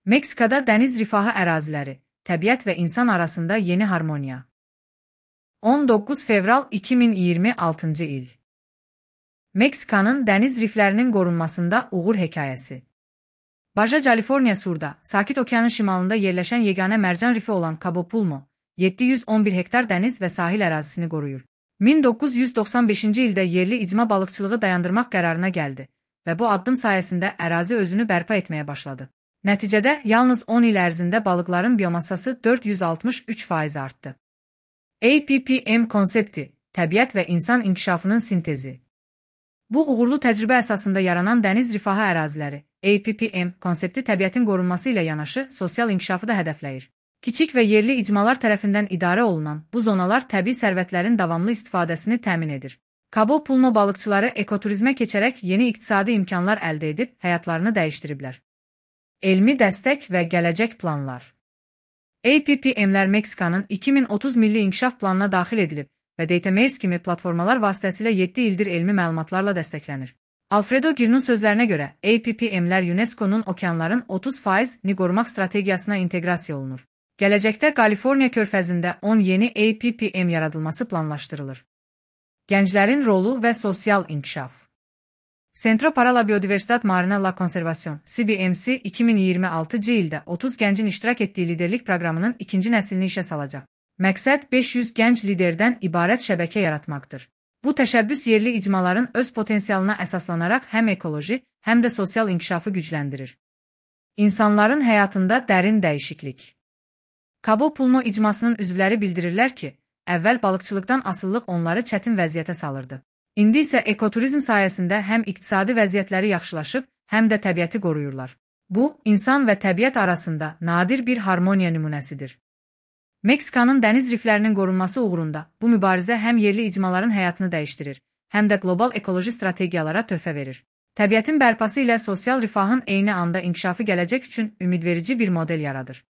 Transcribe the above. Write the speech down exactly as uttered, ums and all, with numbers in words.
Meksikada dəniz rifahı əraziləri, təbiət və insan arasında yeni harmoniya. on doqquz fevral iki min iyirmi altıncı il. Meksikanın dəniz riflərinin qorunmasında uğur hekayəsi. Baja California Sur'da, Sakit Okeanın şimalında yerləşən yeganə mərcan rifi olan Cabo Pulmo, yeddi yüz on bir hektar dəniz və sahil ərazisini qoruyur. min doqquz yüz doxsan beşinci ildə yerli icma balıqçılığı dayandırmaq qərarına gəldi və bu addım sayəsində ərazi özünü bərpa etməyə başladı. Nəticədə, yalnız on il ərzində balıqların biomassası dörd yüz altmış üç faiz artdı. A P P M konsepti, təbiət və insan inkişafının sintezi. Bu uğurlu təcrübə əsasında yaranan dəniz rifahı əraziləri, A P P M konsepti təbiətin qorunması ilə yanaşı sosial inkişafı da hədəfləyir. Kiçik və yerli icmalar tərəfindən idarə olunan bu zonalar təbii sərvətlərin davamlı istifadəsini təmin edir. Cabo Pulmo balıqçıları ekoturizmə keçərək yeni iqtisadi imkanlar əldə edib həyatlarını dəyişdiriblər. Elmi dəstək və gələcək planlar. A P P M'lər Meksikanın iki min otuz milli inkişaf planına daxil edilib və DataMares kimi platformalar vasitəsilə yeddi ildir elmi məlumatlarla dəstəklənir. Alfredo Girn'un sözlərinə görə, A P P M'lər UNESCO'nun okeanların otuz faizini qorumaq strategiyasına inteqrasiya olunur. Gələcəkdə Kaliforniya körfəzində on yeni A P P M yaradılması planlaşdırılır. Gənclərin rolu və sosial inkişaf. Centro para la Biodiversitat Marina la Conservación C B M C iki min iyirmi altıncı ildə otuz gəncin iştirak etdiyi liderlik proqramının ikinci nəslini işə salacaq. Məqsəd beş yüz gənc liderdən ibarət şəbəkə yaratmaqdır. Bu təşəbbüs yerli icmaların öz potensialına əsaslanaraq həm ekoloji, həm də sosial inkişafı gücləndirir. İnsanların həyatında dərin dəyişiklik. Cabo Pulmo icmasının üzvləri bildirirlər ki, əvvəl balıqçılıqdan asılılıq onları çətin vəziyyətə salırdı. İndi isə ekoturizm sayəsində həm iqtisadi vəziyyətləri yaxşılaşıb, həm də təbiəti qoruyurlar. Bu, insan və təbiət arasında nadir bir harmoniya nümunəsidir. Meksikanın dəniz riflərinin qorunması uğrunda bu mübarizə həm yerli icmaların həyatını dəyişdirir, həm də qlobal ekoloji strategiyalara töhfə verir. Təbiətin bərpası ilə sosial rifahın eyni anda inkişafı gələcək üçün ümidverici bir model yaradır.